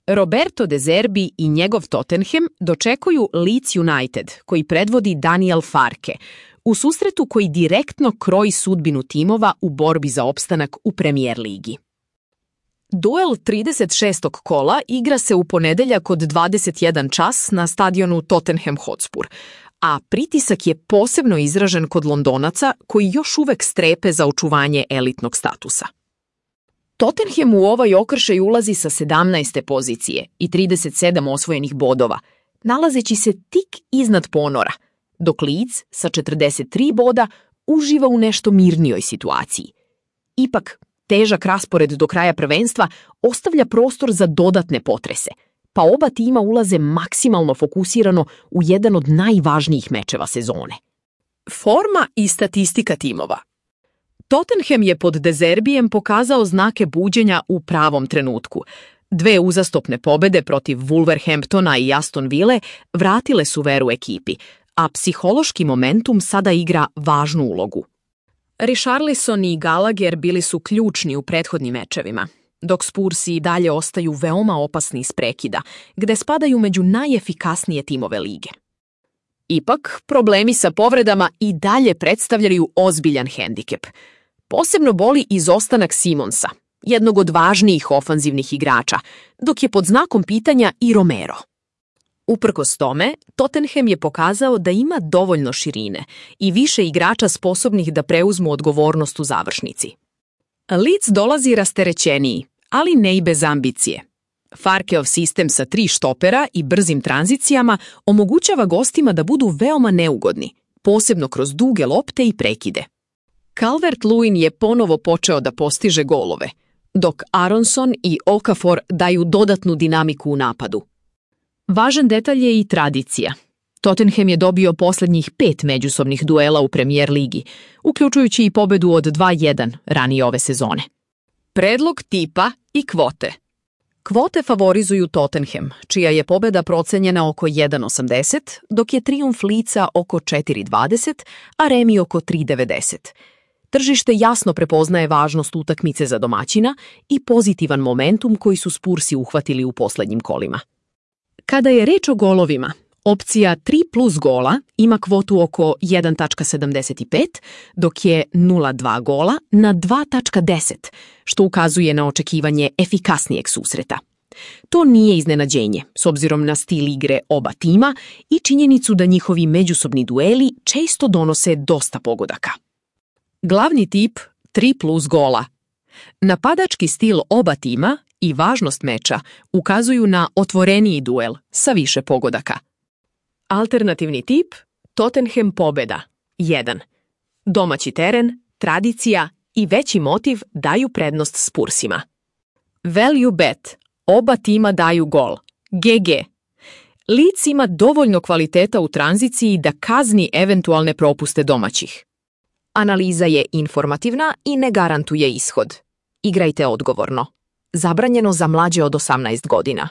Roberto De Zerbi i njegov Tottenham dočekuju Leeds United, koji predvodi Daniel Farke, u susretu koji direktno kroji sudbinu timova u borbi za opstanak u Premier ligi. Duel 36. kola igra se u ponedeljak od 21 čas na stadionu Tottenham Hotspur, a pritisak je posebno izražen kod Londonaca koji još uvek strepe za očuvanje elitnog statusa. Tottenham u ovaj okršaj ulazi sa 17. pozicije i 37 osvojenih bodova, nalazeći se tik iznad ponora, dok Leeds sa 43 boda uživa u nešto mirnijoj situaciji. Ipak, težak raspored do kraja prvenstva ostavlja prostor za dodatne potrese, pa oba tima ulaze maksimalno fokusirano u jedan od najvažnijih mečeva sezone. Forma i statistika timova. Tottenham je pod De Zerbijem pokazao znake buđenja u pravom trenutku. 2 uzastopne pobede protiv Wolverhamptona i Aston Ville vratile su veru ekipi, a psihološki momentum sada igra važnu ulogu. Richarlison i Gallagher bili su ključni u prethodnim mečevima, dok Spursi i dalje ostaju veoma opasni iz prekida, gde spadaju među najefikasnije timove lige. Ipak, problemi sa povredama i dalje predstavljaju ozbiljan hendikep. Posebno boli izostanak Simonsa, jednog od važnijih ofanzivnih igrača, dok je pod znakom pitanja i Romero. Uprkos tome, Tottenham je pokazao da ima dovoljno širine i više igrača sposobnih da preuzmu odgovornost u završnici. Leeds dolazi rasterećeniji, ali ne i bez ambicije. Farkeov sistem sa 3 štopera i brzim tranzicijama omogućava gostima da budu veoma neugodni, posebno kroz duge lopte i prekide. Calvert-Lewin je ponovo počeo da postiže golove, dok Aronson i Okafor daju dodatnu dinamiku u napadu. Važan detalj je i tradicija. Tottenham je dobio posljednjih 5 međusobnih duela u Premier ligi, uključujući i pobedu od 2-1 ranije ove sezone. Predlog tipa i kvote. Kvote favorizuju Tottenham, čija je pobeda procenjena oko 1,80, dok je trijumf Leedsa oko 4,20, a remi oko 3,90. Tržište jasno prepoznaje važnost utakmice za domaćina i pozitivan momentum koji su Spursi uhvatili u posljednjim kolima. Kada je reč o golovima, opcija 3 plus gola ima kvotu oko 1,75, dok je 0,2 gola na 2,10, što ukazuje na očekivanje efikasnijeg susreta. To nije iznenađenje, s obzirom na stil igre oba tima i činjenicu da njihovi međusobni dueli često donose dosta pogodaka. Glavni tip 3 plus gola. Napadački stil oba tima i važnost meča ukazuju na otvoreniji duel sa više pogodaka. Alternativni tip Tottenham pobeda 1. Domaći teren, tradicija i veći motiv daju prednost Spursima. Value bet. Oba tima daju gol. GG. Leeds ima dovoljno kvaliteta u tranziciji da kazni eventualne propuste domaćih. Analiza je informativna i ne garantuje ishod. Igrajte odgovorno. Zabranjeno za mlađe od 18 godina.